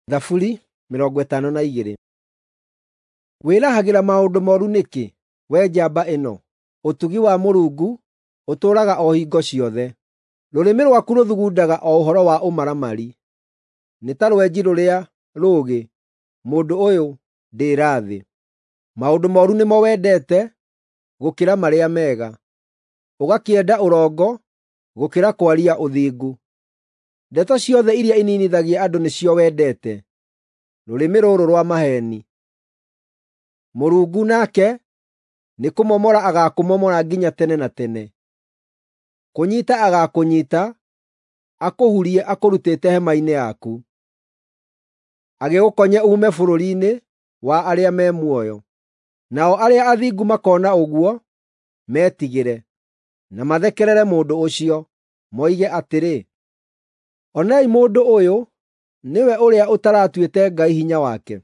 Thaburi 52. Wĩrahagĩra maũndũ mooru nĩkĩ, wee njamba ĩno? Ũtugi wa Mũrungu ũtũũraga o hingo ciothe. Rũrĩmĩ rwaku rũthugundaga o ũhoro wa ũmaramari. Nĩ ta rwenji rũrĩa rũũgĩ, mũndũ ũyũ ndĩĩra-thĩ. Maũndũ mooru nĩmo wendete gũkĩra marĩa mega, ũgakĩenda ũrongo gũkĩra kwaria ũthingu. Ndeto ciothe iria ininithagia andũ nĩcio wendete, rũrĩmĩ rũrũ rwa maheeni. Mũrungu nake nĩkũmomora agaakũmomora nginya tene na tene. Kũnyiita agaakũnyiita, akũhurie akũrutĩte hema-inĩ yaku, agĩgũkonye uume bũrũri-inĩ wa arĩa me muoyo. Nao arĩa athingu makoona ũguo metigĩre, na mathekerere mũndũ ũcio, moige atĩrĩ, “Onei mũndũ ũyũ nĩwe ũrĩa ũtaratuĩte Ngai hinya wake,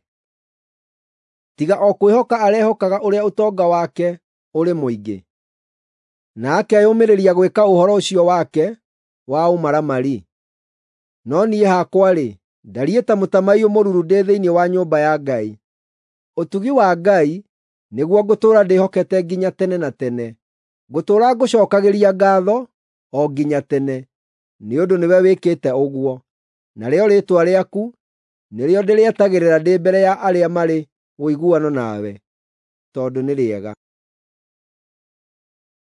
tiga o kwĩhoka arehokaga ũrĩa ũtonga wake ũrĩ mũingĩ, na akeyũmĩrĩria gwĩka ũhoro ũcio wake wa ũmaramari.” No niĩ hakwa-rĩ, ndariĩ ta mũtamaiyũ mũruru ndĩ thĩinĩ wa nyũmba ya Ngai. Ũtugi wa Ngai nĩguo ngũtũũra ndĩhokete nginya tene na tene. Ngũtũũra ngũcookagĩria ngaatho o nginya tene, nĩ ũndũ nĩwe wĩkĩte ũguo, narĩo rĩĩtwa rĩaku nĩrĩo ndĩrĩetagĩrĩra ndĩ mbere ya arĩa marĩ ũiguano nawe, tondũ nĩ rĩega.